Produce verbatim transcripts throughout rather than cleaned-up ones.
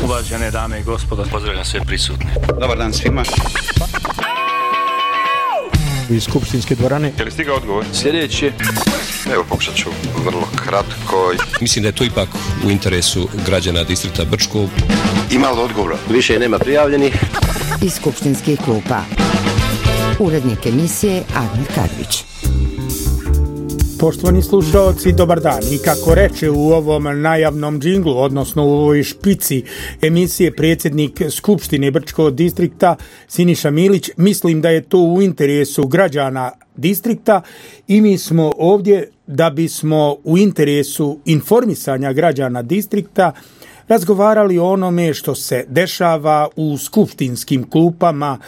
Uvažene dame i gospodo, pozdravljam sve prisutne. Dobar dan svima. Iz skupštinske dvorane. Je li stigao odgovor? Sljedeći. Evo, pokušat ću vrlo kratko. Mislim da je to ipak u interesu građana distrikta Brčko. Ima li odgovora? Više nema prijavljenih. Iz skupštinskih klupa. Urednik emisije Admir Kadrić. Poštovani slušalci, dobar dan. I kako reče u ovom najavnom džinglu, odnosno u ovoj špici emisije predsjednik Skupštine Brčkog distrikta Siniša Milić, mislim da je to u interesu građana distrikta i mi smo ovdje da bismo u interesu informisanja građana distrikta razgovarali o onome što se dešava u skupštinskim klupama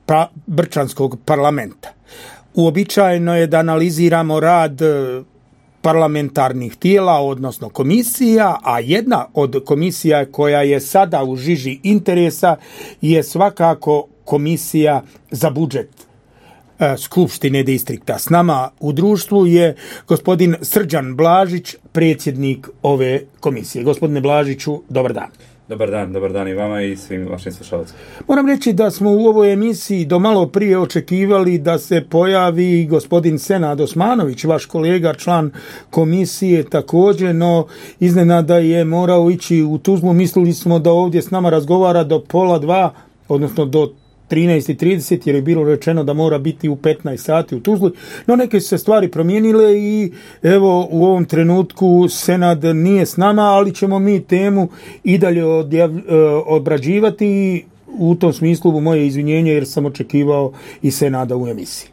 pa Brčanskog parlamenta. Uobičajeno je da analiziramo rad parlamentarnih tijela, odnosno komisija, a jedna od komisija koja je sada u žiži interesa je svakako komisija za budžet Skupštine distrikta. S nama u društvu je gospodin Srđan Blažić, predsjednik ove komisije. Gospodine Blažiću, dobar dan. Dobar dan, dobar dan i vama i svim vašim slušalcima. Moram reći da smo u ovoj emisiji do malo prije očekivali da se pojavi gospodin Senad Osmanović, vaš kolega, član komisije također, no iznenada je morao ići u Tuzlu. Mislili smo da ovdje s nama razgovara do pola dva, odnosno do trinaest i trideset, jer je bilo rečeno da mora biti u petnaest sati u Tuzli, no neke su se stvari promijenile i evo u ovom trenutku Senad nije s nama, ali ćemo mi temu i dalje odjav, obrađivati i u tom smislu moje izvinjenje jer sam očekivao i Senada u emisiji.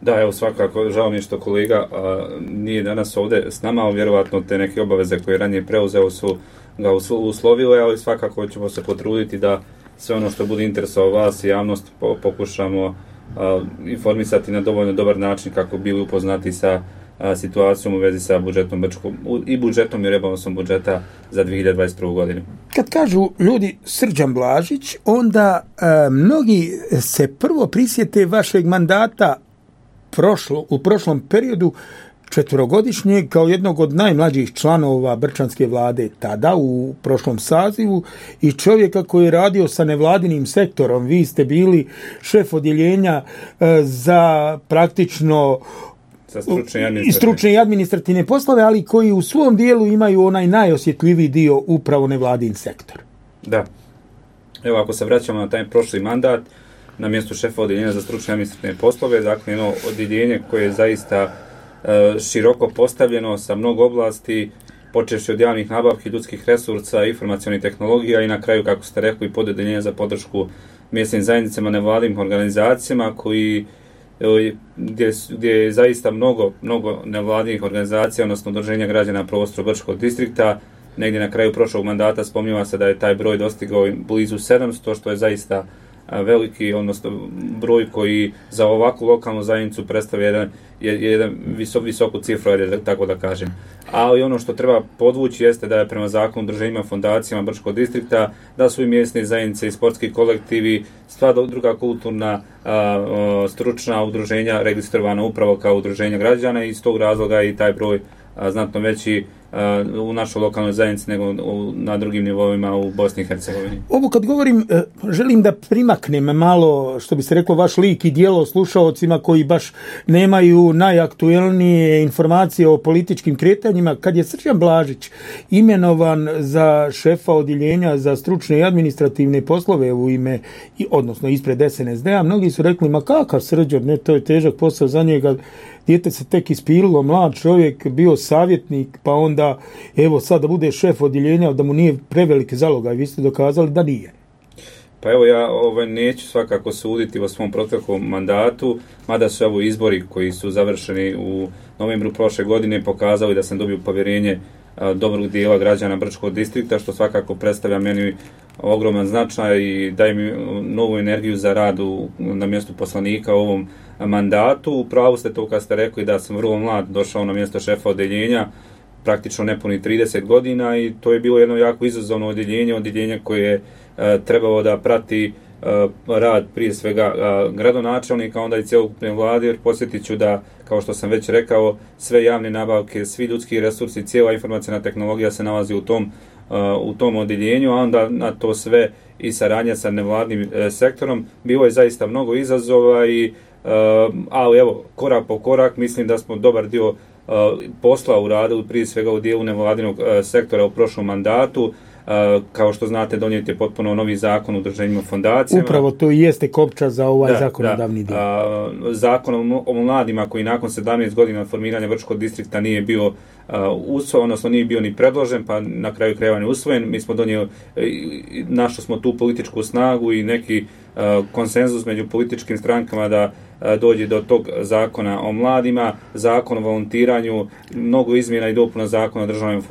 Da, evo svakako, žao mi je što kolega a, nije danas ovdje s nama, ali vjerovatno te neke obaveze koje ranije preuzeo su ga uslovile, ali svakako ćemo se potruditi da sve ono što bude interesovao vas i javnost pokušamo uh, informisati na dovoljno dobar način kako bili upoznati sa uh, situacijom u vezi sa budžetom Brčkom i budžetom i rebalansom budžeta za dvije hiljade dvadeset prvu godinu. Kad kažu ljudi Srđan Blažić, onda uh, mnogi se prvo prisjete vašeg mandata prošlo, u prošlom periodu četverogodišnjeg kao jednog od najmlađih članova Brčanske vlade tada u prošlom sazivu i čovjeka koji je radio sa nevladinim sektorom. Vi ste bili šef odjeljenja e, za praktično za stručne i, i stručne i administrativne poslove, ali koji u svom dijelu imaju onaj najosjetljiviji dio upravo nevladin sektor. Da. Evo, ako se vraćamo na taj prošli mandat, na mjestu šefa odjeljenja za stručne i administrativne poslove, dakle jedno odjeljenje koje je zaista široko postavljeno sa mnogo oblasti, počevši od javnih nabavki, ljudskih resursa, informacionih tehnologija i na kraju, kako ste rekli, podeljenje za podršku mjesnim zajednicama, nevladinim organizacijama koji gdje, gdje je zaista mnogo, mnogo nevladinih organizacija, odnosno udruženja građana na prostoru Brčkog distrikta. Negdje na kraju prošlog mandata spominjava se da je taj broj dostigao blizu sedamsto, što je zaista veliki, odnosno broj koji za ovakvu lokalnu zajednicu predstavlja jedan, jedan visok, visoku cifru, tako da kažem. Ali ono što treba podvući jeste da je prema zakonu udruženjima fondacijama Brčkog distrikta, da su i mjesne zajednice i sportski kolektivi, sva druga kulturna a, a, stručna udruženja registrovana upravo kao udruženja građana i iz tog razloga i taj broj a, znatno veći u našoj lokalnoj zajednici nego na drugim nivoima u Bosni i Hercegovini. Ovo kad govorim, želim da primaknem malo, što bi se reklo, vaš lik i djelo slušaocima koji baš nemaju najaktuelnije informacije o političkim kretanjima. Kad je Srđan Blažić imenovan za šefa odjeljenja za stručne i administrativne poslove u ime, odnosno ispred S N S D-a, mnogi su rekli, ma kakav Srđan, ne, to je težak posao za njega, dijete se tek ispililo, mlad čovjek, bio savjetnik, pa onda, evo, sad da bude šef odjeljenja, da mu nije preveliki zalogaj, vi ste dokazali da nije. Pa evo, ja ovaj, neću svakako suditi o svom proteklom mandatu, mada su ovo izbori koji su završeni u novembru prošle godine pokazali da sam dobio povjerenje a, dobrog dijela građana Brčkog distrikta, što svakako predstavlja meni ogroman značaj i daje mi novu energiju za rad u, na mjestu poslanika u ovom mandatu. Upravo ste to kad ste rekli da sam vrlo mlad došao na mjesto šefa odjeljenja, praktično nepuni trideset godina i to je bilo jedno jako izazovno odjeljenje, odjeljenje koje je e, trebalo da prati e, rad prije svega e, gradonačelnika, onda i cjelokupne vlade, jer posjetit ću da, kao što sam već rekao, sve javne nabavke, svi ljudski resursi, cijela informacijna tehnologija se nalazi u tom u tom odjeljenju, a onda na to sve i saradnja sa nevladnim sektorom. Bilo je zaista mnogo izazova, i, ali evo, korak po korak, mislim da smo dobar dio posla uradili, prije svega u dijelu nevladinog sektora u prošlom mandatu. Kao što znate, donijet je potpuno novi zakon o udruženjima fondacijama. Upravo to i jeste kopča za ovaj da, zakonodavni dio. Zakon o mladima koji nakon sedamnaest godina formiranja Brčkog distrikta nije bio usvojen, odnosno nije bio ni predložen, pa na kraju krajeva ne usvojen. Mi smo donijeli, našli smo tu političku snagu i neki konsenzus među političkim strankama da dođe do tog zakona o mladima, zakon o volontiranju, mnogo izmjena i dopuna zakona o državnoj,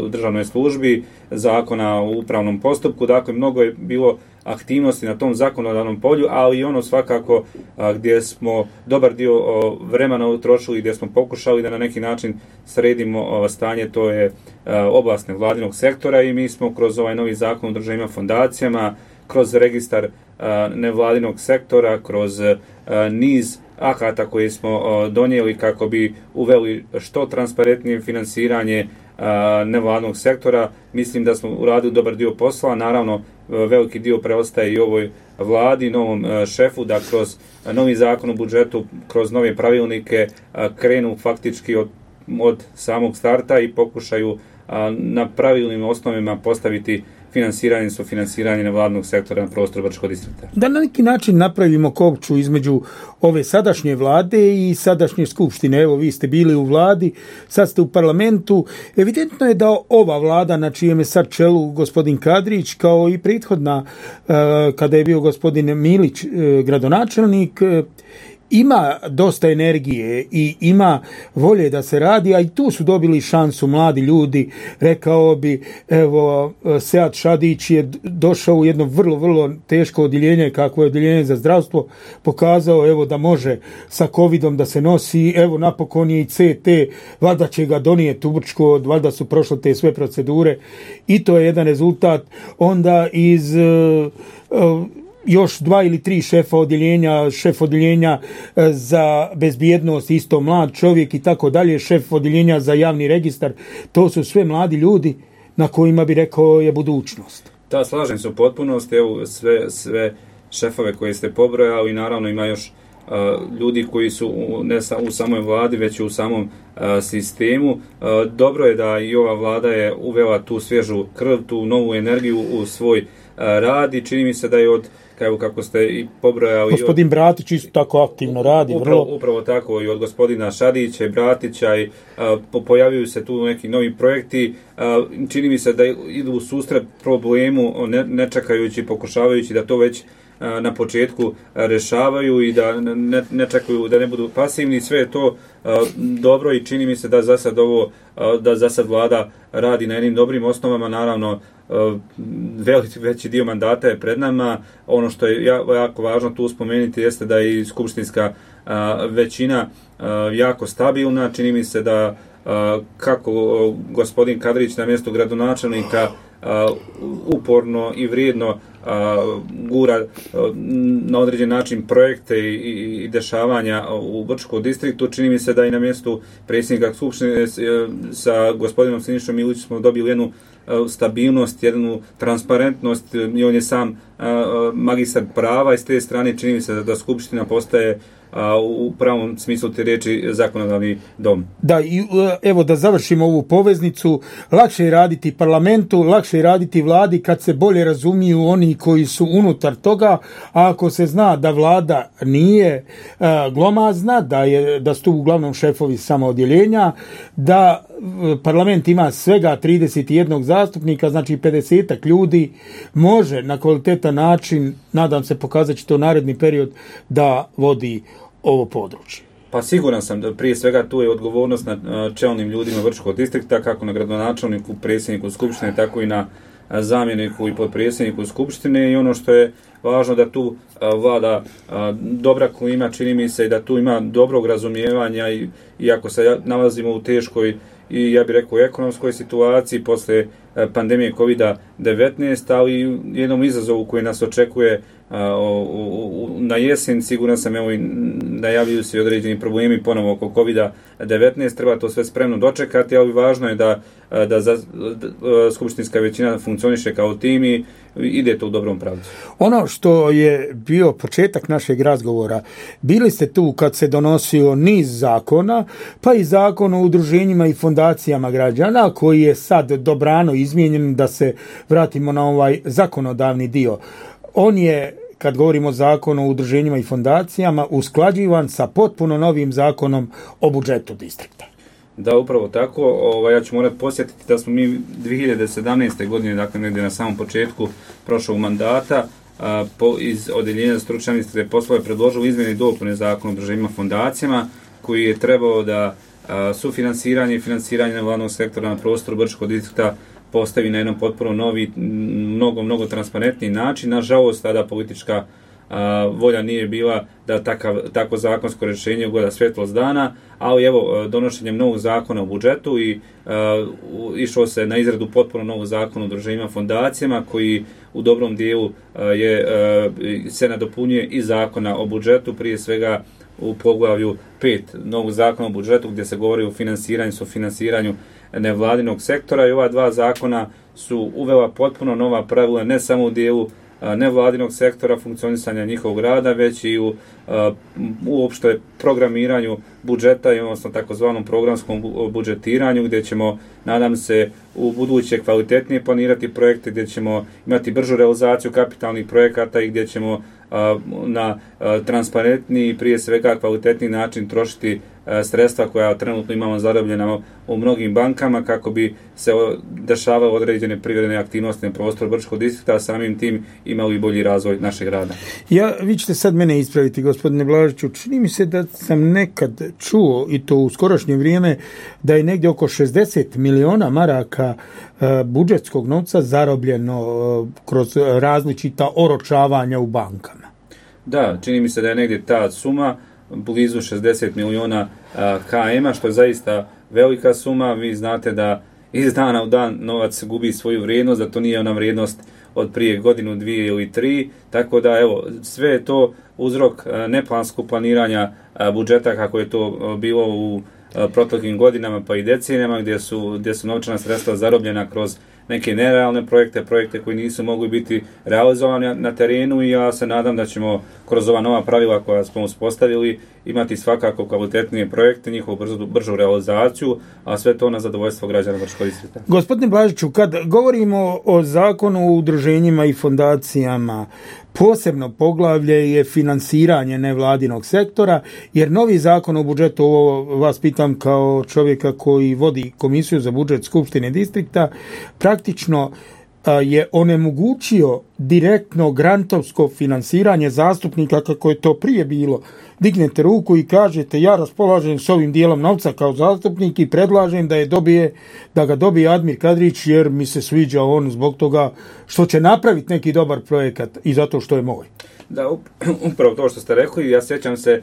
državnoj službi, zakona o upravnom postupku. Dakle, mnogo je bilo aktivnosti na tom zakonodavnom polju, ali i ono svakako a, gdje smo dobar dio o, vremena utrošili, gdje smo pokušali da na neki način sredimo o, stanje, to je a, oblast nevladinog sektora, i mi smo kroz ovaj novi zakon o udruženjima fondacijama, kroz registar a, nevladinog sektora, kroz a, niz akata koje smo a, donijeli kako bi uveli što transparentnije finansiranje a, nevladinog sektora. Mislim da smo uradili dobar dio posla, naravno veliki dio preostaje i ovoj vladi, novom šefu, da kroz novi zakon o budžetu, kroz nove pravilnike krenu faktički od, od samog starta i pokušaju na pravilnim osnovima postaviti finansiranje i sufinansiranje nevladnog sektora na prostoru Brčkog distrikta. Da na neki način napravimo kopču između ove sadašnje vlade i sadašnje skupštine. Evo, vi ste bili u vladi, sad ste u parlamentu. Evidentno je da ova vlada, na čijem je sad čelu gospodin Kadrić, kao i prethodna, kada je bio gospodin Milić gradonačelnik, ima dosta energije i ima volje da se radi, a i tu su dobili šansu mladi ljudi. Rekao bi, evo, Sead Šadić je došao u jedno vrlo, vrlo teško odjeljenje, kako je odjeljenje za zdravstvo, pokazao, evo, da može sa covidom da se nosi. Evo, napokon je i C T, valjda će ga donijeti u Brčko, valjda su prošle te sve procedure, i to je jedan rezultat. Onda iz uh, uh, još dva ili tri šefa odjeljenja, šef odjeljenja za bezbjednost, isto mlad čovjek i tako dalje, šef odjeljenja za javni registar. To su sve mladi ljudi na kojima bi rekao je budućnost. Da, slažem se u potpunosti. Evo, sve, sve šefove koje ste pobrojali, i naravno ima još uh, ljudi koji su u, ne sa, u samoj vladi, već i u samom uh, sistemu. Uh, dobro je da i ova vlada je uvela tu svježu krv, tu novu energiju u svoj uh, rad, i čini mi se da je od, evo kako ste i pobrojali... Gospodin Bratić isto tako aktivno radi. Upravo, vrlo... upravo tako, i od gospodina Šadića i Bratića, i a, pojavljuju se tu neki novi projekti. A, čini mi se da idu u susret problemu, ne, ne čekajući, pokušavajući da to već a, na početku a, rešavaju i da ne, ne čekaju, da ne budu pasivni. Sve je to a, dobro, i čini mi se da za sad ovo, a, da za sad vlada radi na jednim dobrim osnovama. Naravno, veliki veći dio mandata je pred nama. Ono što je jako važno tu spomenuti jeste da je i skupštinska a, većina a, jako stabilna. Čini mi se da a, kako gospodin Kadrić na mjestu gradonačelnika a, uporno i vrijedno a, gura a, na određen način projekte i, i, i dešavanja u Brčkom distriktu. Čini mi se da i na mjestu predsjednika skupštine sa gospodinom Sinišom Milićem smo dobili jednu stabilnost, jednu transparentnost, i on je sam uh, magistar prava, i s te strane čini mi se da, da skupština postaje uh, u pravom smislu te riječi zakonodavni dom. Da, i evo da završimo ovu poveznicu, lakše je raditi parlamentu, lakše je raditi vladi kad se bolje razumiju oni koji su unutar toga, a ako se zna da vlada nije uh, glomazna, da, je, da su tu uglavnom šefovi samo odjeljenja, da parlament ima svega trideset jedan zastupnika, znači pedeset ljudi, može na kvalitetan način, nadam se pokazat će to naredni period, da vodi ovo područje. Pa siguran sam da prije svega tu je odgovornost na čelnim ljudima Brčkog distrikta, kako na gradonačelniku, predsjedniku skupštine, tako i na zamjeniku i potpredsjedniku skupštine, i ono što je važno da tu a, vlada a, dobra klima, čini mi se, i da tu ima dobrog razumijevanja, i iako se nalazimo u teškoj i ja bih rekao ekonomskoj situaciji posle pandemije kovid devetnaest, ali i jednom izazovu koji nas očekuje na jesen. Siguran sam, evo i najavljuju se određeni problemi ponovo oko kovid devetnaest, treba to sve spremno dočekati, ali važno je da, da, za, da skupštinska većina funkcioniše kao tim i ide to u dobrom pravcu. Ono što je bio početak našeg razgovora, bili ste tu kad se donosio niz zakona, pa i zakon o udruženjima i fondacijama građana, koji je sad dobrano izmijenjen, da se vratimo na ovaj zakonodavni dio. On je, kad govorimo o zakonu o udruženjima i fondacijama, usklađivan sa potpuno novim zakonom o budžetu distrikta. Da, upravo tako. Ovaj, ja ću morati posjetiti da smo mi dvije hiljade sedamnaeste. godine, dakle negdje na samom početku prošlog mandata, a, po, iz Odeljenja za stručne administrativne poslove predložili izmjene i dopune zakona o udruženjima i fondacijama, koji je trebao da a, sufinansiranje i finansiranje nevladnog sektora na prostoru Brčkog distrikta postavi na jedan potpuno novi, mnogo, mnogo transparentniji način. Nažalost, tada politička a, volja nije bila da takav, tako zakonsko rješenje ugleda svjetlost dana, ali evo, donošenjem novog zakona o budžetu i a, u, išlo se na izradu potpuno novog zakona o udruženjima fondacijama, koji u dobrom dijelu a, je, a, se nadopunjuje i zakona o budžetu, prije svega u poglavlju pet novog zakona o budžetu, gdje se govori o finansiranju, sufinanciranju nevladinog sektora, i ova dva zakona su uvela potpuno nova pravila, ne samo u dijelu a, nevladinog sektora, funkcionisanja njihovog rada, već i u a, uopšte programiranju budžeta, i odnosno takozvanom programskom budžetiranju, gdje ćemo, nadam se, u buduće kvalitetnije planirati projekte, gdje ćemo imati bržu realizaciju kapitalnih projekata i gdje ćemo a, na a, transparentniji, prije svega kvalitetniji način trošiti a, sredstva koja trenutno imamo zarobljena u mnogim bankama, kako bi se dešavale određene privredne aktivnosti na prostoru Brčkog distrikta, a samim tim imali bolji razvoj našeg rada. Ja, vi ćete sad mene ispraviti, gospodine Blažiću, čini mi se da sam nekad čuo, i to u skorašnje vrijeme, da je negdje oko šezdeset miliona maraka e, budžetskog novca zarobljeno e, kroz različita oročavanja u bankama. Da, čini mi se da je negdje ta suma blizu šezdeset miliona K M-a, što je zaista velika suma. Vi znate da iz dana u dan novac gubi svoju vrijednost, da to nije ona vrijednost od prije godinu, dvije ili tri, tako da evo, sve je to uzrok neplanskog planiranja budžeta, kako je to bilo u proteklim godinama pa i decenijama, gdje su, gdje su novčana sredstva zarobljena kroz neke nerealne projekte, projekte koji nisu mogli biti realizovani na terenu, i ja se nadam da ćemo kroz ova nova pravila koja smo uspostavili imati svakako kvalitetnije projekte, njihovu bržu, bržu realizaciju, a sve to na zadovoljstvo građana Brčkog distrikta. Gospodine Blažiću, kad govorimo o zakonu o udruženjima i fondacijama, posebno poglavlje je finansiranje nevladinog sektora, jer novi zakon o budžetu, ovo vas pitam kao čovjeka koji vodi komisiju za budžet Skupštine distrikta, praktično je onemogućio direktno grantovsko finansiranje zastupnika, kako je to prije bilo. Dignete ruku i kažete, ja raspolažem s ovim dijelom novca kao zastupnik i predlažem da je dobije, da ga dobije Admir Kadrić, jer mi se sviđa on zbog toga što će napraviti neki dobar projekat i zato što je moj. Da, upravo to što ste rekli, ja sjećam se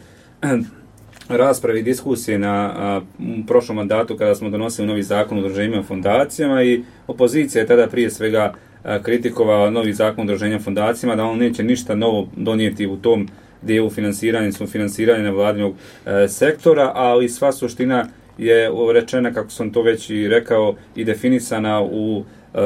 raspravi, diskusije na a, prošlom mandatu kada smo donosili novi zakon o udruženjima i fondacijama, i opozicija je tada prije svega a, kritikovala novi zakon o udruženjima i fondacijama, da on neće ništa novo donijeti u tom dijelu finansiranja, sufinansiranja nevladinog e, sektora, ali sva suština je rečena, kako sam to već i rekao, i definisana u e,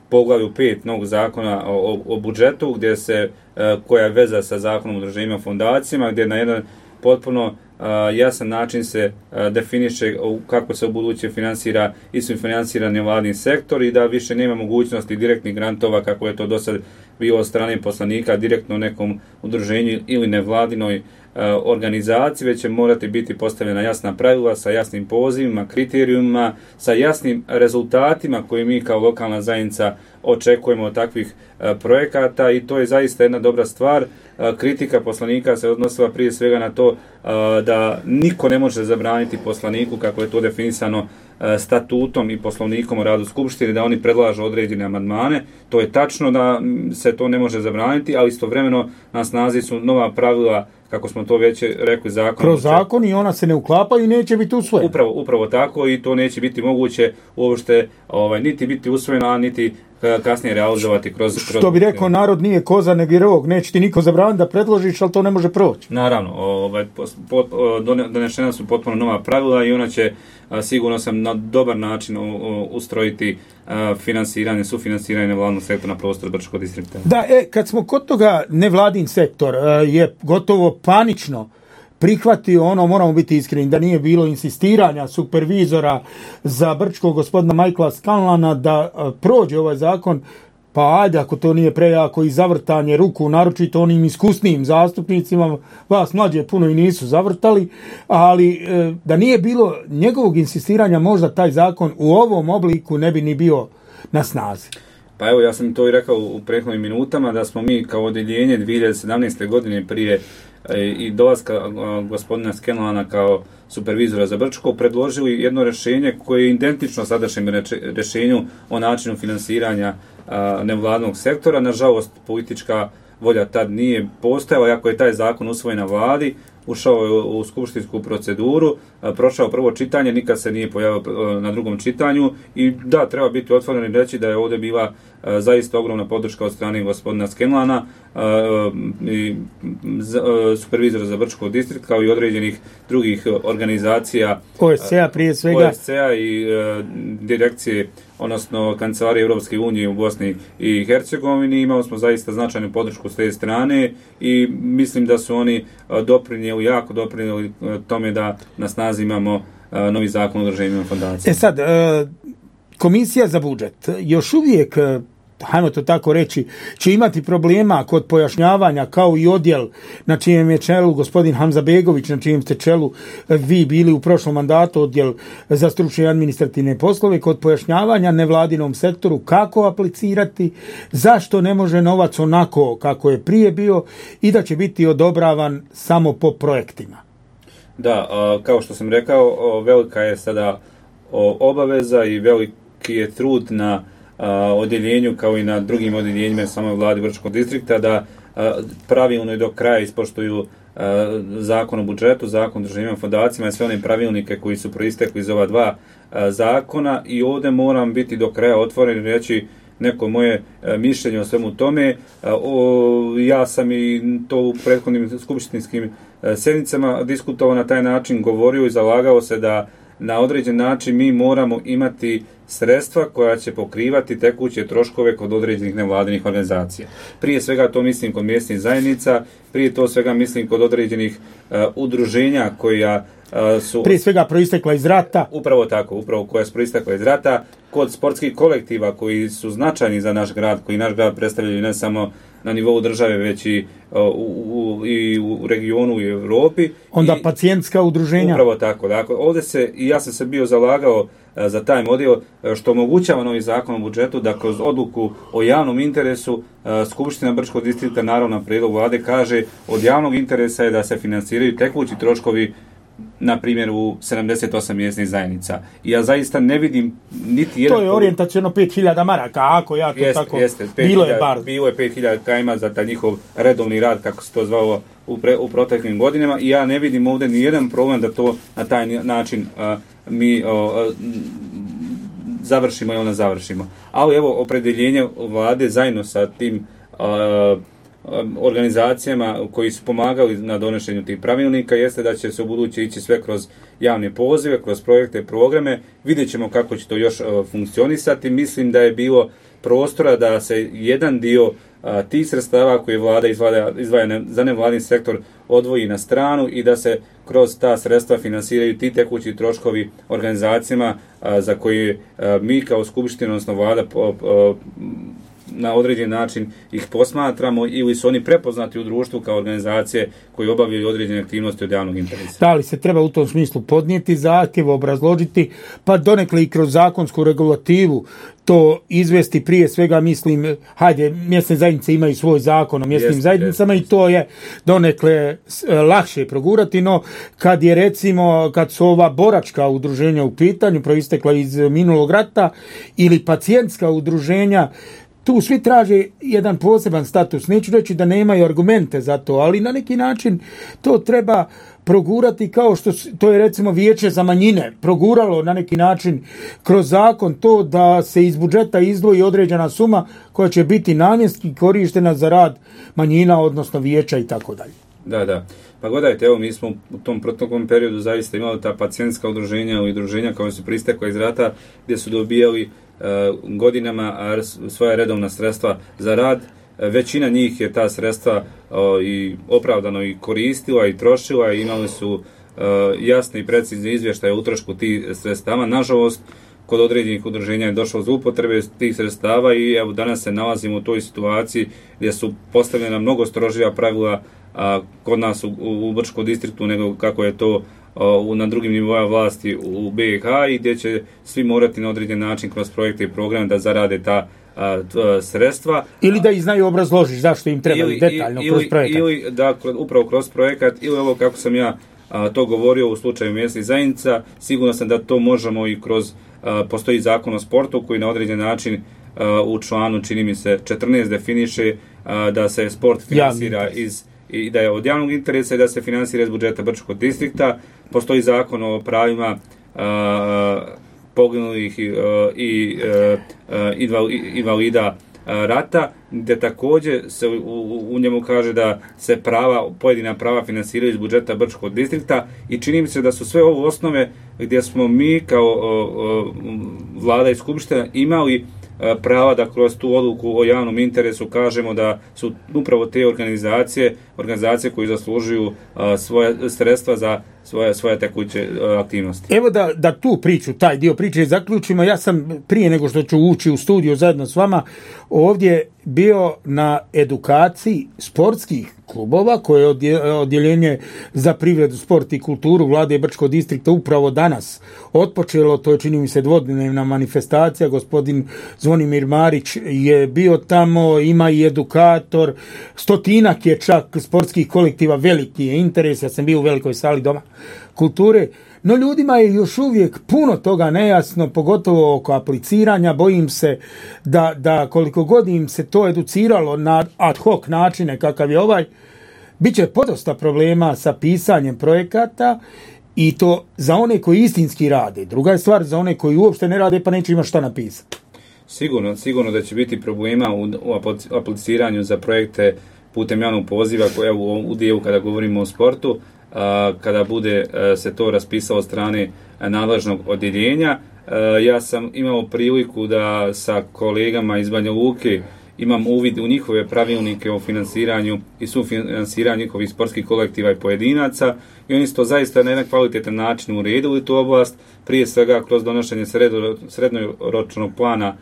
poglavlju pet novog zakona o, o budžetu, gdje se, e, koja je veza sa zakonom o udruženjima i fondacijama, gdje na jedan potpuno Uh, jasan način se uh, definiše kako se u buduće finansira i sufinansira nevladin sektor, i da više nema mogućnosti direktnih grantova, kako je to do sad bilo od strane poslanika direktno nekom udruženju ili nevladinoj uh, organizaciji, već će morati biti postavljena jasna pravila sa jasnim pozivima, kriterijumima, sa jasnim rezultatima koje mi kao lokalna zajednica očekujemo od takvih uh, projekata, i to je zaista jedna dobra stvar. Uh, kritika poslanika se odnosila prije svega na to uh, da niko ne može zabraniti poslaniku, kako je to definisano uh, statutom i poslovnikom o radu Skupštine, da oni predlažu određene amandmane. To je tačno da se to ne može zabraniti, ali istovremeno na snazi su nova pravila kako smo to već rekli, zakon. Kroz zakon i ona se ne uklapa i neće biti usvojena. Upravo, upravo tako i to neće biti moguće uopšte ovaj, niti biti usvojeno, a niti kasnije realizovati kroz... kroz... Što bi rekao, narod nije koza nego rog, neće ti niko zabraniti da predložiš, ali to ne može proći. Naravno, ovaj, pot, donešena su potpuno nova pravila i ona će, a, sigurno sam, na dobar način u, u, ustrojiti a, finansiranje, sufinansiranje nevladnog sektora na prostoru Brčkog distrikta. Da, e, kad smo kod toga, nevladin sektor a, je gotovo panično prihvatio ono, moramo biti iskreni, da nije bilo insistiranja supervizora za Brčko, gospodina Michaela Scanlana, da a, prođe ovaj zakon, pa ajde, ako to nije prejako i zavrtanje ruku, naročito onim iskusnijim zastupnicima, vas mlađe puno i nisu zavrtali, ali e, da nije bilo njegovog insistiranja, možda taj zakon u ovom obliku ne bi ni bio na snazi. Pa evo, ja sam to i rekao u prethodnim minutama, da smo mi kao odjeljenje dvije hiljade sedamnaeste. godine prije i dolaska gospodina Scanlana kao supervizora za Brčko predložili jedno rješenje koje je identično sadašnjem rješenju o načinu finansiranja nevladnog sektora. Nažalost, politička volja tad nije postojala, iako je taj zakon usvojen na vladi, ušao je u skupštinsku proceduru, prošao prvo čitanje, nikad se nije pojavio na drugom čitanju i da, treba biti otvoren i reći da je ovdje bila zaista ogromna podrška od strane gospodina Scanlana i supervizora za Brčko distrikt, kao i određenih drugih organizacija O S C-a prije svega O S C-a i direkcije, odnosno Kancelarije Europske unije u Bosni i Hercegovini. Imali smo zaista značajnu podršku s te strane i mislim da su oni doprinijeli, jako doprinijeli tome da na snazi imamo novi zakon o udruženjima fondacija. E sad, Komisija za budžet još uvijek, hajmo to tako reći, će imati problema kod pojašnjavanja, kao i odjel na čijem je čelu gospodin Hamza Begović, na čijem ste čelu vi bili u prošlom mandatu, odjel za stručne i administrativne poslove, kod pojašnjavanja nevladinom sektoru kako aplicirati, zašto ne može novac onako kako je prije bio i da će biti odobravan samo po projektima. Da, kao što sam rekao, velika je sada obaveza i veliki je trud na odjeljenju, kao i na drugim odjeljenjima samoj vladi Brčkog distrikta, da pravilno i do kraja ispoštuju zakon o budžetu, zakon o udruženjima fondacijama i sve one pravilnike koji su proistekli iz ova dva zakona. I ovdje moram biti do kraja otvoren i reći neko moje mišljenje o svemu tome. Ja sam i to u prethodnim skupštinskim sjednicama diskutovao na taj način, govorio i zalagao se da na određen način mi moramo imati sredstva koja će pokrivati tekuće troškove kod određenih nevladinih organizacija. Prije svega to mislim kod mjesnih zajednica, prije to svega mislim kod određenih uh, udruženja koja uh, su... Prije svega proistekla iz rata. Upravo tako, upravo koja su proistekla iz rata, kod sportskih kolektiva koji su značajni za naš grad, koji naš grad predstavljaju ne samo na nivou države, već i uh, u, u, i u regionu i u Europi. Onda I, pacijentska udruženja. Upravo tako. Dakle, ovdje se, i ja sam se bio zalagao uh, za taj model, uh, što omogućava novi zakon o budžetu, da kroz odluku o javnom interesu uh, Skupština Brčkog distrikta, naravno na prijedlog vlade, kaže od javnog interesa je da se finansiraju tekući troškovi, na primjer u sedamdeset osam mjesnih zajednica. I ja zaista ne vidim niti jedan... To je orijentacijono pet hiljada maraka, ako ja to jeste, tako... Jeste, bilo je bar. Bilo je pet hiljada kajma za taj njihov redovni rad, kako se to zvalo u, pre, u proteklim godinama, i ja ne vidim ovdje ni jedan problem da to na taj način uh, mi uh, završimo ili ne završimo. Ali evo, opredjeljenje vlade zajedno sa tim uh, organizacijama koji su pomagali na donošenju tih pravilnika jeste da će se u buduće ići sve kroz javne pozive, kroz projekte, programe. Vidjet ćemo kako će to još uh, funkcionisati. Mislim da je bilo prostora da se jedan dio uh, tih sredstava koje vlada izvaja, izvaja ne, za nevladin sektor odvoji na stranu i da se kroz ta sredstva finansiraju ti tekući troškovi organizacijama uh, za koje uh, mi kao skupština, odnosno vlada po, uh, na određen način ih posmatramo ili su oni prepoznati u društvu kao organizacije koje obavljaju određene aktivnosti od javnog interesa. Da li se treba u tom smislu podnijeti zahtjev, obrazložiti, pa donekle i kroz zakonsku regulativu to izvesti, prije svega mislim, hajde, mjesne zajednice imaju svoj zakon o mjesnim jest, zajednicama jest, i to je donekle lakše progurati, no kad je recimo, kad su ova boračka udruženja u pitanju, proistekla iz minulog rata, ili pacijentska udruženja, tu svi traže jedan poseban status. Neću reći da nemaju argumente za to, ali na neki način to treba progurati kao što to je recimo Vijeće za manjine proguralo na neki način kroz zakon to da se iz budžeta izdvoji određena suma koja će biti namjenski korištena za rad manjina, odnosno vijeća i tako dalje. Da, da. Pa gledajte, evo mi smo u tom protokom periodu zaista imali ta pacijentska udruženja i udruženja koja su pristekla iz rata gdje su dobijali uh, godinama svoja redovna sredstva za rad. Većina njih je ta sredstva uh, i opravdano i koristila i trošila i imali su uh, jasne i precizne izvještaje o utrošku tih sredstava. Nažalost, kod određenih udruženja je došlo do upotrebe tih sredstava i evo danas se nalazimo u toj situaciji gdje su postavljena mnogo strožija pravila a, kod nas u, u Brčkom distriktu nego kako je to a, u, na drugim nivoima vlasti u B iH i gdje će svi morati na određen način kroz projekte i programe da zarade ta a, t, sredstva. Ili da ih znaju obrazložiš zašto im treba ili, detaljno ili, kroz projekat. Ili da upravo kroz projekat ili ovo kako sam ja a, to govorio u slučaju mjesnih zajednica, sigurno sam da to možemo i kroz a, postoji zakon o sportu koji na određen način a, u članu čini mi se četrnaest definiše a, da se sport finansira iz i da je od javnog interesa i da se finansira iz budžeta Brčkog distrikta. Postoji zakon o pravima a, poginulih i, a, i a, invalida rata, gdje također se u, u, u njemu kaže da se prava, pojedina prava finansiraju iz budžeta Brčkog distrikta i čini mi se da su sve ovo osnove gdje smo mi kao o, o, vlada i skupština imali prava da kroz tu odluku o javnom interesu kažemo da su upravo te organizacije, organizacije koji zaslužuju a, svoje sredstva za svoje, svoje tekuće a, aktivnosti. Evo da, da tu priču, taj dio priče zaključimo. Ja sam prije nego što ću ući u studiju zajedno s vama ovdje bio na edukaciji sportskih klubova koje je odjeljenje za privredu, sport i kulturu Vlade Brčkog distrikta upravo danas otpočelo. To je čini mi se dvodnevna manifestacija. Gospodin Zvonimir Marić je bio tamo, ima i edukator, stotinak je čak sportskih kolektiva, veliki je interes. Ja sam bio u velikoj sali Doma kulture. No ljudima je još uvijek puno toga nejasno, pogotovo oko apliciranja. Bojim se da, da koliko god im se to educiralo na ad hoc načine kakav je ovaj, bit će podosta problema sa pisanjem projekata i to za one koji istinski rade. Druga je stvar za one koji uopšte ne rade pa neće imati šta napisati. Sigurno, sigurno da će biti problema u, u apliciranju za projekte putem javnog poziva koja u, u dijelu kada govorimo o sportu. A, kada bude a, se to raspisalo od strane a, nadležnog odjeljenja. A, ja sam imao priliku da sa kolegama iz Banja Luke imam uvid u njihove pravilnike o finansiranju i sufinansiranju njihovih sportskih kolektiva i pojedinaca i oni su to zaista na jedan kvalitetan način uredili tu oblast, prije svega kroz donošenje srednjoročnog plana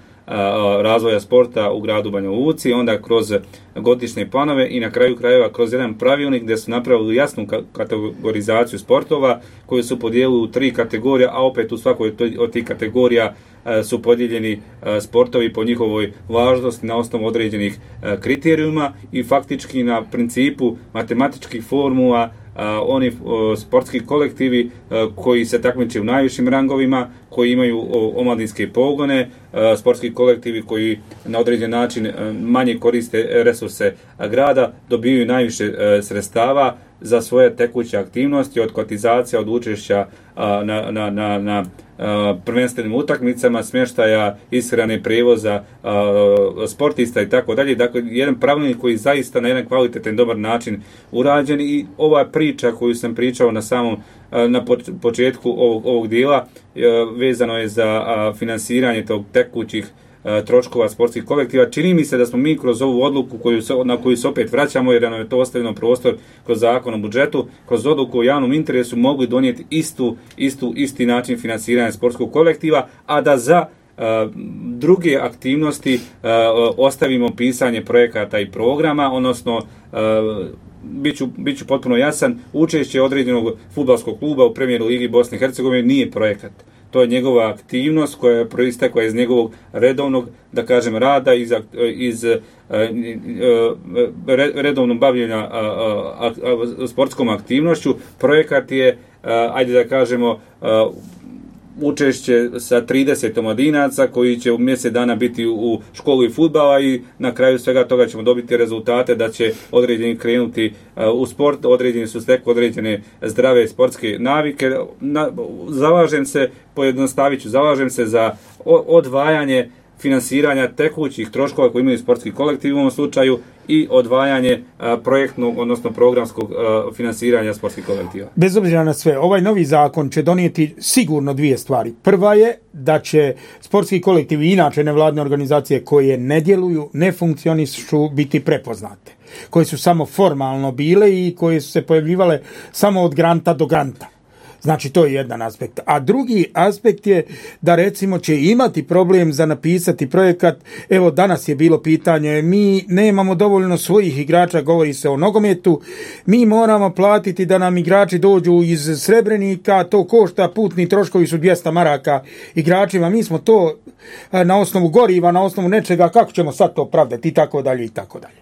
razvoja sporta u gradu Banja Luci, onda kroz godišnje planove i na kraju krajeva kroz jedan pravilnik gdje su napravili jasnu kategorizaciju sportova koju su podijelili u tri kategorije, a opet u svakoj od tih kategorija su podijeljeni sportovi po njihovoj važnosti na osnovu određenih kriterijuma i faktički na principu matematičkih formula Uh, oni uh, sportski kolektivi uh, koji se takmiče u najvišim rangovima, koji imaju uh, omladinske pogone, uh, sportski kolektivi koji na određen način uh, manje koriste resurse uh, grada, dobijaju najviše uh, sredstava za svoje tekuće aktivnosti, od kotizacija, od učešća uh, na, na, na, na uh, prvenstvenim utakmicama, smještaja, ishrane, prevoza, uh, sportista i tako dalje. Dakle, jedan pravilnik koji zaista na jedan kvalitetan dobar način urađen i ova priča koju sam pričao na samom uh, na početku ovog, ovog dijela uh, vezano je za uh, finansiranje tog tekućih troškova sportskih kolektiva. Čini mi se da smo mi kroz ovu odluku koju se, na koju se opet vraćamo jer nam je to ostavljeno prostor kroz zakon o budžetu, kroz odluku o javnom interesu mogli donijeti istu, istu, isti način finansiranja sportskog kolektiva, a da za uh, druge aktivnosti uh, ostavimo pisanje projekata i programa, odnosno uh, Biću, biću potpuno jasan, učešće određenog fudbalskog kluba u Premijer ligi Bosne i Hercegovine nije projekat. To je njegova aktivnost koja je proistekla iz njegovog redovnog, da kažem, rada, iz, iz uh, redovnog bavljenja uh, uh, sportskom aktivnošću. Projekat je, uh, ajde da kažemo, uh, učešće sa trideset omladinaca koji će u mjesec dana biti u školi fudbala i na kraju svega toga ćemo dobiti rezultate da će određeni krenuti u sport, određeni su stekli određene zdrave sportske navike. Na, zalažem se, pojednostavit ću, zalažem se za odvajanje finansiranja tekućih troškova koji imaju sportski kolektiv u ovom slučaju i odvajanje a, projektnog, odnosno programskog a, finansiranja sportskih kolektiva. Bez obzira na sve, ovaj novi zakon će donijeti sigurno dvije stvari. Prva je da će sportski kolektivi i inače nevladne organizacije koje ne djeluju, ne funkcionišu biti prepoznate, koje su samo formalno bile i koje su se pojavljivale samo od granta do granta. Znači, to je jedan aspekt. A drugi aspekt je da recimo će imati problem za napisati projekat. Evo, danas je bilo pitanje, mi nemamo dovoljno svojih igrača, govori se o nogometu, mi moramo platiti da nam igrači dođu iz Srebrenika, to košta, putni troškovi su dvjesto maraka igračima, mi smo to na osnovu goriva, na osnovu nečega, kako ćemo sad to pravdati i tako dalje i tako dalje.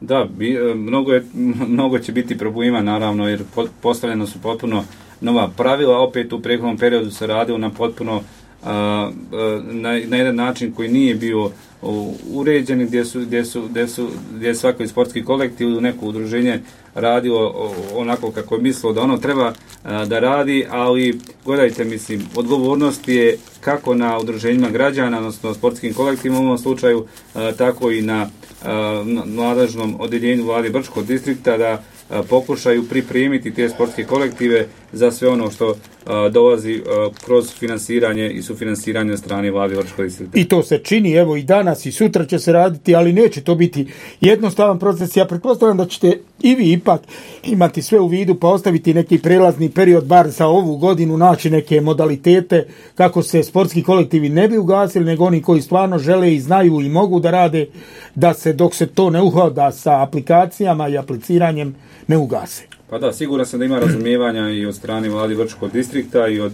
Da, bi, mnogo, je, mnogo će biti problema, naravno, jer postavljeno su potpuno nova pravila, opet u prethodnom periodu se radilo na potpuno a, a, na, na jedan način koji nije bio u, uređen, gdje su, gdje su, gdje su, gdje je svaki sportski kolektiv ili neko udruženje radilo onako kako je mislilo da ono treba a, da radi, ali gledajte, mislim, odgovornost je kako na udruženjima građana, odnosno sportskim kolektivima u ovom slučaju, a, tako i na, a, na nadležnom odjeljenju vlade Brčkog distrikta da pokušaju pripremiti te sportske kolektive za sve ono što a, dolazi a, kroz finansiranje i sufinansiranje od strane vlade Brčkog distrikta. I to se čini, evo i danas i sutra će se raditi, ali neće to biti jednostavan proces. Ja pretpostavljam da ćete i vi ipak imati sve u vidu pa ostaviti neki prelazni period, bar za ovu godinu, naći neke modalitete kako se sportski kolektivi ne bi ugasili, nego oni koji stvarno žele i znaju i mogu da rade, da se dok se to ne uhoda sa aplikacijama i apliciranjem ne ugase. Pa da, siguran sam da ima razumijevanja i od strane vlade Brčkog distrikta i od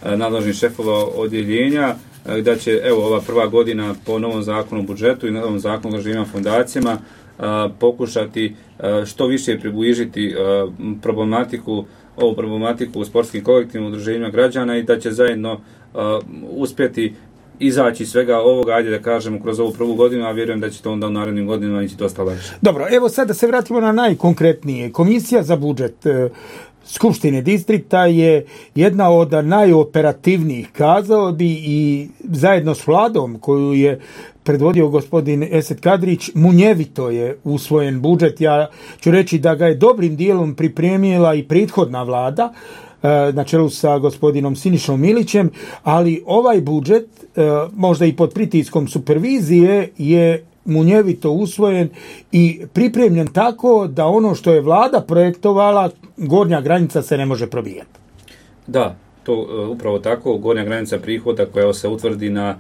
e, nadležnih šefova odjeljenja, e, da će, evo, ova prva godina po novom zakonu o budžetu i novom zakonu o građevinama fondacijama a, pokušati a, što više približiti a, problematiku, ovu problematiku u sportskim kolektivnim udruženjima građana i da će zajedno a, uspjeti izaći svega ovoga, ajde da kažemo, kroz ovu prvu godinu, a vjerujem da će to onda u narednim godinama ići dosta lakše. Dobro, evo sad da se vratimo na najkonkretnije. Komisija za budžet e, Skupštine distrikta je jedna od najoperativnijih, kazao bi, i zajedno s vladom koju je predvodio gospodin Esad Kadrić, munjevito je usvojen budžet. Ja ću reći da ga je dobrim dijelom pripremila i prethodna vlada, na čelu sa gospodinom Sinišom Milićem, ali ovaj budžet, možda i pod pritiskom supervizije, je munjevito usvojen i pripremljen tako da ono što je vlada projektovala, gornja granica se ne može probijati. Da, to upravo tako, gornja granica prihoda koja se utvrdi na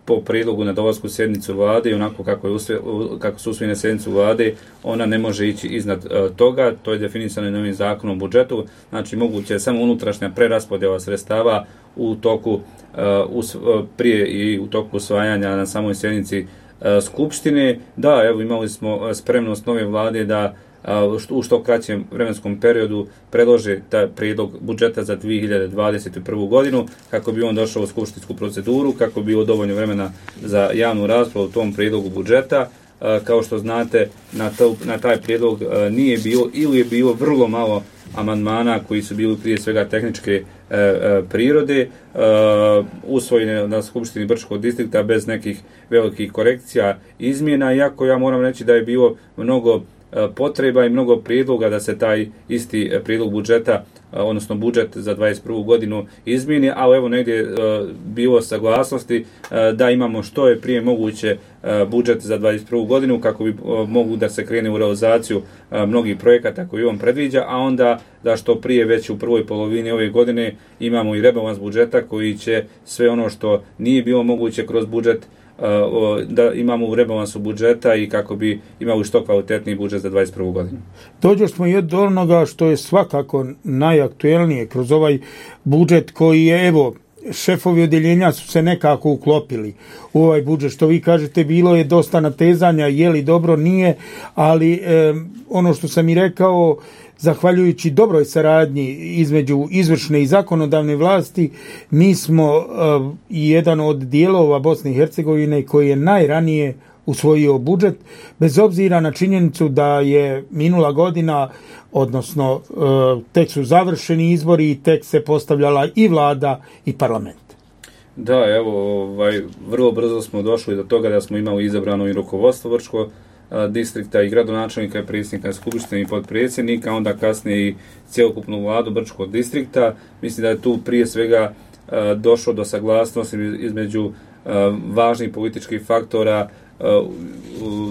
po prijedlogu na dolasku sjednicu vlade i onako kako, je usve, kako su usvojene sjednicu vlade, ona ne može ići iznad uh, toga, to je definisano i novim zakonom o budžetu, znači moguće je samo unutrašnja preraspodjela sredstava u toku, uh, us, uh, prije i u toku usvajanja na samoj sjednici uh, Skupštine. Da, evo imali smo spremnost nove vlade da u što kraćem vremenskom periodu predlože taj prijedlog budžeta za dvije hiljade dvadeset prvu godinu, kako bi on došao u skupštinsku proceduru, kako bi bilo dovoljno vremena za javnu raspravu u tom prijedlogu budžeta. Kao što znate, na, to, na taj prijedlog nije bilo ili je bilo vrlo malo amandmana koji su bili prije svega tehničke e, e, prirode, e, usvojene na Skupštini Brčkog distrikta bez nekih velikih korekcija, izmjena, iako ja moram reći da je bilo mnogo potreba i mnogo prijedloga da se taj isti prijedlog budžeta, odnosno budžet za dvadeset prvu godinu izmijeni, ali evo negdje je bilo saglasnosti da imamo što je prije moguće budžet za dvadeset prvu godinu kako bi mogu da se krene u realizaciju mnogih projekata koji on predviđa, a onda da što prije već u prvoj polovini ove godine imamo i rebalans budžeta koji će sve ono što nije bilo moguće kroz budžet da imamo u rebalansu budžeta i kako bi imali što kvalitetniji budžet za dvadeset prvu godinu. Dođe smo i od onoga što je svakako najaktuelnije kroz ovaj budžet koji je, evo, šefovi odjeljenja su se nekako uklopili u ovaj budžet. Što vi kažete, bilo je dosta natezanja, je li dobro, nije, ali e, ono što sam i rekao, zahvaljujući dobroj saradnji između izvršne i zakonodavne vlasti, mi smo uh, jedan od dijelova Bosne i Hercegovine koji je najranije usvojio budžet, bez obzira na činjenicu da je minula godina, odnosno uh, tek su završeni izbori i tek se postavljala i vlada i parlament. Da, evo, ovaj, vrlo brzo smo došli do toga da smo imali izabrano i rukovodstvo Brčkog distrikta i gradonačelnika i predsjednika skupštine i potpredsjednika, onda kasnije i cjelokupnu vladu Brčkog distrikta. Mislim da je tu prije svega uh, došlo do saglasnosti između uh, važnih političkih faktora, uh,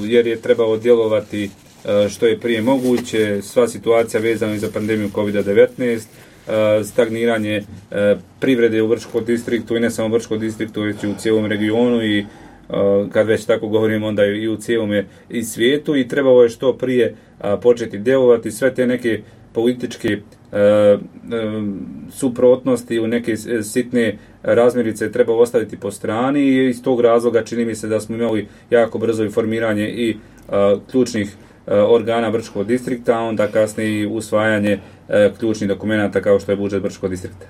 jer je trebalo djelovati uh, što je prije moguće. Sva situacija vezana za pandemiju kovid devetnaest, uh, stagniranje uh, privrede u Brčkom distriktu i ne samo u Brčkom distriktu, već i u cijelom regionu i Uh, kad već tako govorimo, onda i u cijelome i svijetu, i trebalo je što prije uh, početi djelovati. Sve te neke političke uh, um, suprotnosti u neke sitne razmirice treba ostaviti po strani, i iz tog razloga čini mi se da smo imali jako brzo i formiranje i uh, ključnih uh, organa Brčkog distrikta, a onda kasnije i usvajanje uh, ključnih dokumenata kao što je budžet Brčkog distrikta.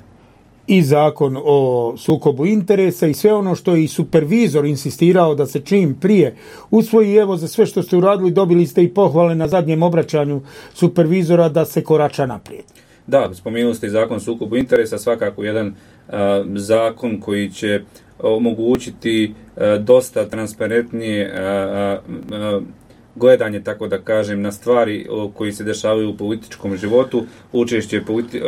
I zakon o sukobu interesa i sve ono što je i supervizor insistirao da se čim prije usvoji. Evo, za sve što ste uradili dobili ste i pohvale na zadnjem obraćanju supervizora da se korača naprijed. Da, spomenuli ste i zakon o sukobu interesa, svakako jedan a, zakon koji će omogućiti a, dosta transparentnije a, a, a, gledanje, tako da kažem, na stvari koji se dešavaju u političkom životu, učešće politi,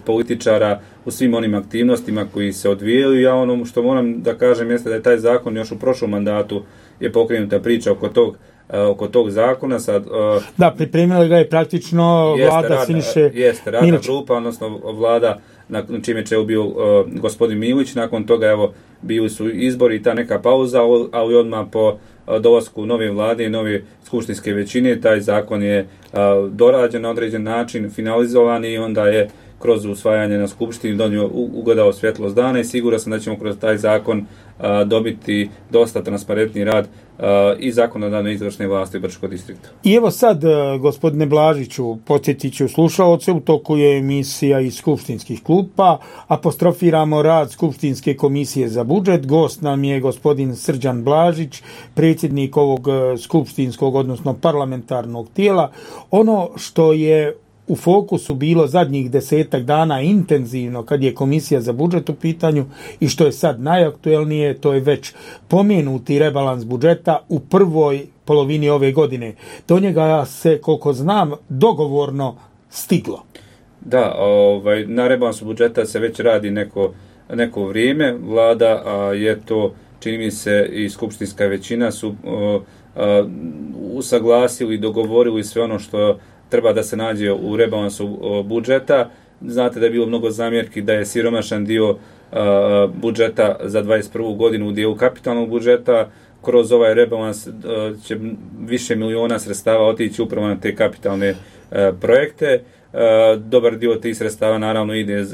političara u svim onim aktivnostima koji se odvijaju. Ja ono što moram da kažem jeste da je taj zakon još u prošlom mandatu je pokrenuta priča oko tog oko tog zakona. Sad, da, pripremila ga je praktično vlada rada, Siniše Jeste, radna grupa, odnosno vlada na čime će bio uh, gospodin Milić. Nakon toga, evo, bili su izbori i ta neka pauza, ali odmah po uh, dolasku nove vlade i nove skupštinske većine, taj zakon je uh, dorađen na određen način, finalizovan, i onda je kroz usvajanje na skupštini donio, ugledao svjetlost dana, i siguran sam da ćemo kroz taj zakon uh, dobiti dosta transparentni rad uh, i zakonodavne izvršne vlasti Brčkog distrikta. I evo sad, uh, gospodine Blažiću, podsjetit ću slušaoce, u toku je emisija iz skupštinskih klupa, apostrofiramo rad Skupštinske komisije za budžet. Gost nam je gospodin Srđan Blažić, predsjednik ovog uh, skupštinskog, odnosno parlamentarnog tijela. Ono što je u fokusu bilo zadnjih desetak dana intenzivno kad je komisija za budžet u pitanju i što je sad najaktuelnije, to je već pomenuti rebalans budžeta u prvoj polovini ove godine. Do njega se, koliko znam, dogovorno stiglo. Da, ovaj, na rebalansu budžeta se već radi neko, neko vrijeme. Vlada a, je to, čini mi se, i skupštinska većina su a, a, usaglasili i dogovorili sve ono što treba da se nađe u rebalansu budžeta. Znate da je bilo mnogo zamjerki da je siromašan dio uh, budžeta za dvadeset prvu godinu u dijelu kapitalnog budžeta. Kroz ovaj rebalans uh, će više miliona sredstava otići upravo na te kapitalne uh, projekte. Uh, dobar dio tih sredstava naravno ide uh,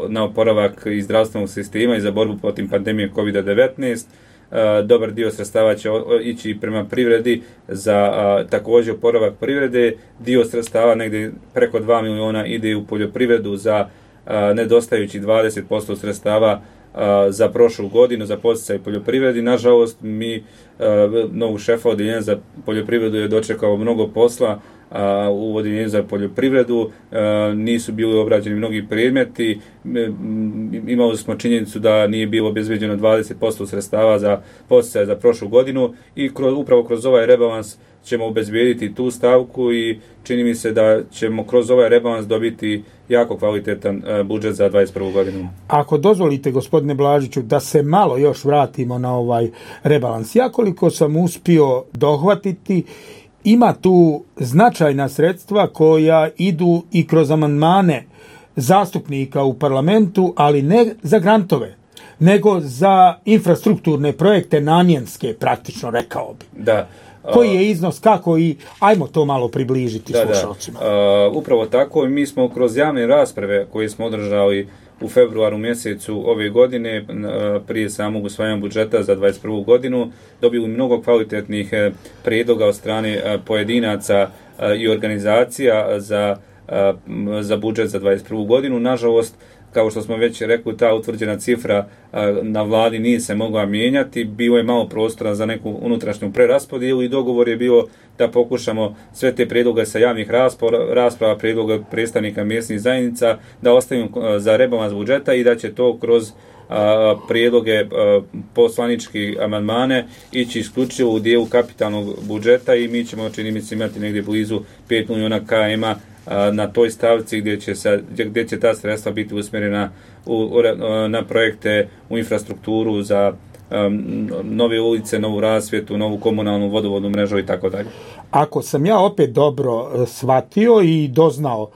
na oporavak iz zdravstvenog sistema i za borbu protiv pandemije kovid devetnaest. Uh, dobar dio sredstava će ići prema privredi za uh, također oporavak privrede. Dio sredstava, negdje preko dva miliona, ide u poljoprivredu za uh, nedostajući dvadeset posto sredstava uh, za prošlu godinu za podsticaj poljoprivredi. Nažalost, mi uh, novog šefa odjeljenja za poljoprivredu je dočekao mnogo posla. A, u odjeljenju za poljoprivredu a, nisu bili obrađeni mnogi predmeti. Imali smo činjenicu da nije bilo obezbeđeno dvadeset posto sredstava za podsticaj za prošlu godinu, i kroz, upravo kroz ovaj rebalans ćemo obezbediti tu stavku, i čini mi se da ćemo kroz ovaj rebalans dobiti jako kvalitetan a, budžet za dvadeset prvu godinu. Ako dozvolite, gospodine Blažiću, da se malo još vratimo na ovaj rebalans. Ja koliko sam uspio dohvatiti, ima tu značajna sredstva koja idu i kroz amandmane zastupnika u parlamentu, ali ne za grantove, nego za infrastrukturne projekte namjenske, praktično, rekao bi. Da. Koji je iznos, kako, i ajmo to malo približiti da, slušalcima. Da. Uh, upravo tako, mi smo kroz javne rasprave koje smo održali u februaru mjesecu ove godine, prije samog usvajanja budžeta za dvadeset prvu godinu, dobili mnogo kvalitetnih prijedloga od strane pojedinaca i organizacija za, za budžet za dvadeset prvu godinu. Nažalost, kao što smo već rekli, ta utvrđena cifra na vladi nije se mogla mijenjati, bilo je malo prostora za neku unutrašnju preraspodjelu i dogovor je bio da pokušamo sve te prijedloge sa javnih rasprava, rasprava prijedloga predstavnika mjesnih zajednica da ostavimo za rebalans budžeta i da će to kroz a, prijedloge a, poslanički amandmane ići isključivo u dijelu kapitalnog budžeta i mi ćemo, čini mi se, imati negdje blizu pet milijuna km na toj stavci gdje će, sa, gdje će ta sredstva biti usmjerena u, u, na projekte u infrastrukturu za um, nove ulice, novu rasvjetu, novu komunalnu vodovodnu mrežu i tako dalje. Ako sam ja opet dobro shvatio i doznao,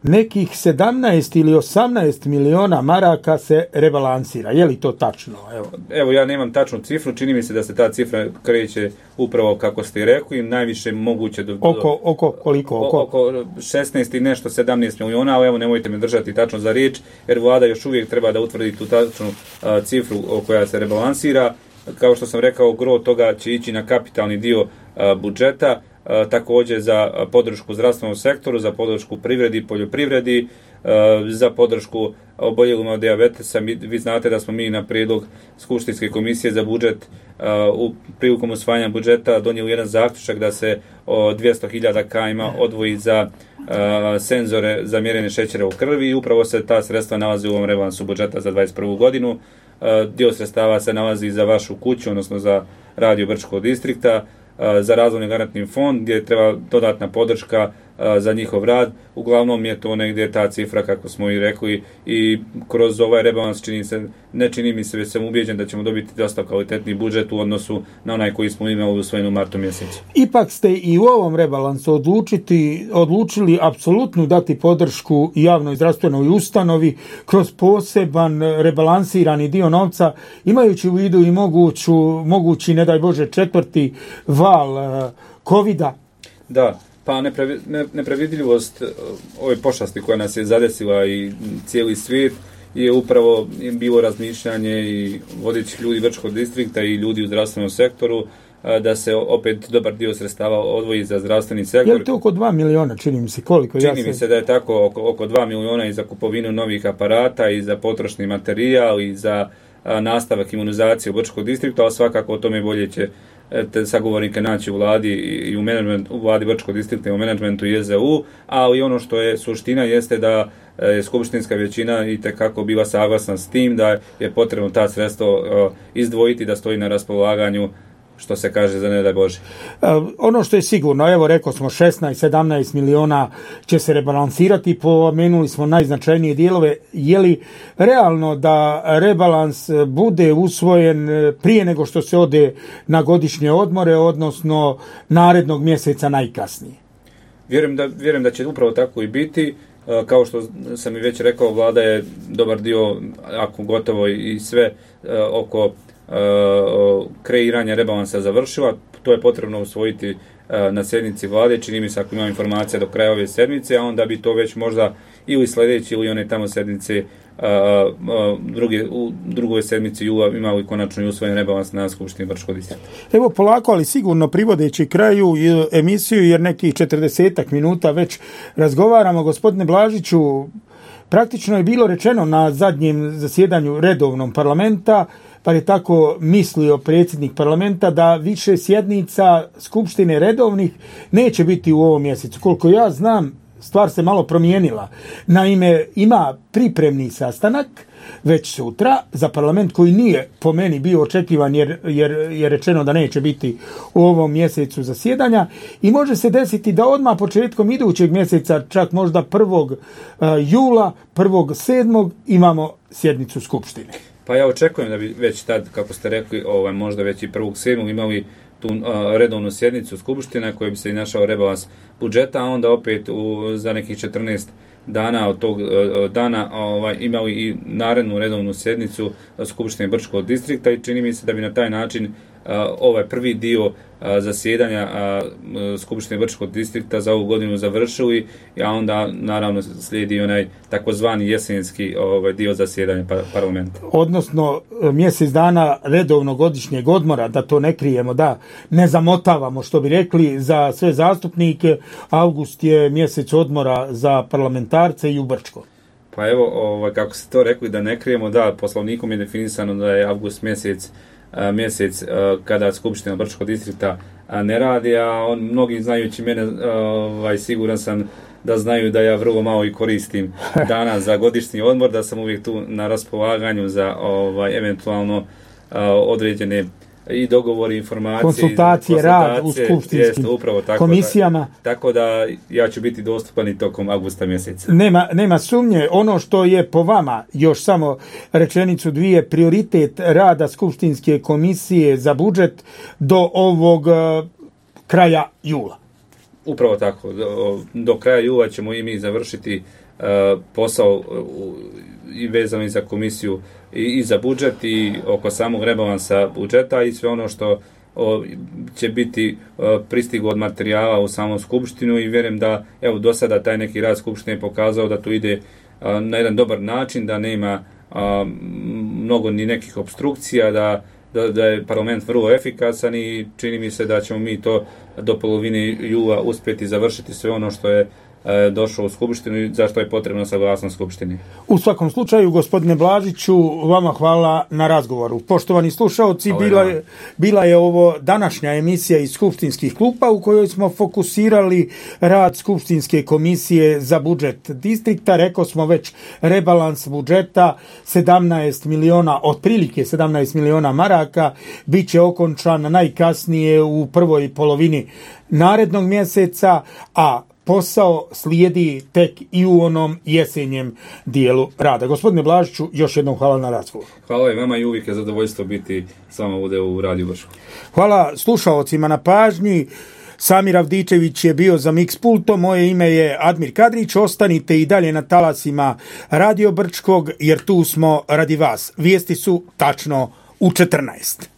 nekih sedamnaest ili osamnaest miliona maraka se rebalansira. Je li to tačno? Evo. Evo, ja nemam tačnu cifru, čini mi se da se ta cifra kreće upravo kako ste rekli, najviše moguće do... Oko, oko koliko? Oko, oko šesnaest i nešto, sedamnaest miliona, ali evo nemojte me držati tačno za riječ, jer vlada još uvijek treba da utvrdi tu tačnu a, cifru koja se rebalansira. Kao što sam rekao, gro toga će ići na kapitalni dio a, budžeta, a, također za podršku zdravstvenom sektoru, za podršku privredi i poljoprivredi, a, za podršku oboljelima od dijabetesa. Mi, vi znate da smo mi na prijedlog Skupštinske komisije za budžet a, u prilikom usvajanja budžeta donijeli jedan zaključak da se o dvjesto hiljada km odvoji za a, senzore za mjerenje šećera u krvi i upravo se ta sredstva nalazi u ovom rebalansu budžeta za dvadeset prvu godinu. Dio sredstava se nalazi za vašu kuću, odnosno za radio Brčkog distrikta, za razvojni garantni fond gdje treba dodatna podrška za njihov rad. Uglavnom je to negdje ta cifra, kako smo i rekli, i kroz ovaj rebalans čini se, ne čini mi se, već sam ubijeđen da ćemo dobiti dosta kvalitetni budžet u odnosu na onaj koji smo imali usvojen u martu mjesecu. Ipak ste i u ovom rebalansu odlučiti, odlučili apsolutno dati podršku javnoj zdravstvenoj ustanovi kroz poseban rebalansirani dio novca, imajući u vidu i moguću, mogući, ne daj Bože, četvrti val covida. Da. Pa neprevidljivost ove pošasti koja nas je zadesila i cijeli svijet je upravo bilo razmišljanje i vodećih ljudi Brčkog distrikta i ljudi u zdravstvenom sektoru da se opet dobar dio sredstava odvoji za zdravstveni sektor. Je li to oko dva miliona, čini mi se, koliko? Čini ja se... mi se da je tako oko, oko dva miliona i za kupovinu novih aparata i za potrošni materijal i za a, nastavak imunizacije u Brčkog distrikta, ali svakako o tome bolje će te sagovornike naći u vladi i u menadžmentu, u vladi Brčkog distrikta i u menadžmentu i E Z U, ali ono što je suština jeste da je skupštinska većina i tekako bila saglasna s tim da je potrebno ta sredstva izdvojiti, da stoji na raspolaganju, što se kaže, za ne daj Bože. Uh, ono što je sigurno, evo rekao smo šesnaest sedamnaest miliona će se rebalansirati, pomenuli smo najznačajnije dijelove. Je li realno da rebalans bude usvojen prije nego što se ode na godišnje odmore, odnosno narednog mjeseca najkasnije? Vjerujem da, vjerujem da će upravo tako i biti. Uh, kao što sam i već rekao, vlada je dobar dio, ako gotovo i sve uh, oko Uh, kreiranje rebalansa završila. To je potrebno usvojiti uh, na sjednici vlade, čini mi se, ako imam informacija do kraja ove sedmice, a onda bi to već možda ili sljedeći ili one tamo sedmice uh, uh, druge, u drugoj sedmici jula imali konačno i usvojen rebalans na Skupštini Brčkog distrikta. Evo polako, ali sigurno privodeći kraju emisiju, jer nekih četrdesetak minuta već razgovaramo. Gospodine Blažiću, praktično je bilo rečeno na zadnjem zasjedanju redovnom parlamenta, pa je tako mislio predsjednik parlamenta, da više sjednica Skupštine redovnih neće biti u ovom mjesecu. Koliko ja znam, stvar se malo promijenila. Naime, ima pripremni sastanak već sutra za parlament koji nije po meni bio očekivan jer, jer je rečeno da neće biti u ovom mjesecu zasjedanja i može se desiti da odmah početkom idućeg mjeseca, čak možda prvog jula, prvog sedmog imamo sjednicu Skupštine. Pa ja očekujem da bi već tad, kako ste rekli, ovaj, možda već i prvog sedmog imali tu uh, redovnu sjednicu Skupština koja bi se i našao rebalans budžeta, a onda opet u, za nekih četrnaest dana od tog uh, dana ovaj, imali i narednu redovnu sjednicu Skupštine Brčkog distrikta i čini mi se da bi na taj način ovaj prvi dio zasjedanja Skupštine Brčkog distrikta za ovu godinu završili, a onda naravno slijedi onaj takozvani jesenski ovaj dio zasjedanja parlamenta. Odnosno mjesec dana redovnog godišnjeg odmora, da to ne krijemo, da ne zamotavamo, što bi rekli, za sve zastupnike. Avgust je mjesec odmora za parlamentarce i u Brčko. Pa evo, ovaj, kako ste to rekli, da ne krijemo, da, poslovnikom je definisano da je avgust mjesec mjesec kada Skupština Brčkog distrikta ne radi, a on, mnogi znajući mene, ovaj, siguran sam da znaju da ja vrlo malo i koristim dana za godišnji odmor, da sam uvijek tu na raspolaganju za ovaj, eventualno određene i dogovori, informacije, konsultacije, konsultacije rad u skupštinskim upravo tako komisijama. Da, tako da ja ću biti dostupan i tokom avgusta mjeseca. Nema, nema sumnje. Ono što je po vama, još samo rečenicu dvije, prioritet rada skupštinske komisije za budžet do ovog uh, kraja jula. Upravo tako. Do, do kraja jula ćemo i mi završiti uh, posao uh, i vezano i za komisiju i, i za budžet i oko samog rebalansa budžeta i sve ono što o, će biti o, pristiglo od materijala u samom skupštinu i vjerujem da evo do sada taj neki rad skupštine je pokazao da to ide a, na jedan dobar način, da nema a, mnogo ni nekih obstrukcija, da, da, da je parlament vrlo efikasan i čini mi se da ćemo mi to do polovine jula uspjeti završiti sve ono što je došao u skupštinu i zašto je potrebno saglasnost skupštine. U svakom slučaju, gospodine Blažiću, vama hvala na razgovoru. Poštovani slušaoci, bila je, bila je ovo današnja emisija iz skupštinskih klupa u kojoj smo fokusirali rad skupštinske komisije za budžet distrikta. Rekao smo već rebalans budžeta sedamnaest miliona, otprilike sedamnaest miliona maraka, bit će okončan najkasnije u prvoj polovini narednog mjeseca, a posao slijedi tek i u onom jesenjem dijelu rada. Gospodine Blažiću, još jednom hvala na razgovor. Hvala i vama i uvijek je zadovoljstvo biti s vama ovdje u Radiju Brčko. Hvala slušaocima na pažnji. Samir Avdičević je bio za Mix pultom, moje ime je Admir Kadrić. Ostanite i dalje na talasima Radio Brčkog, jer tu smo radi vas. Vijesti su tačno u četrnaest.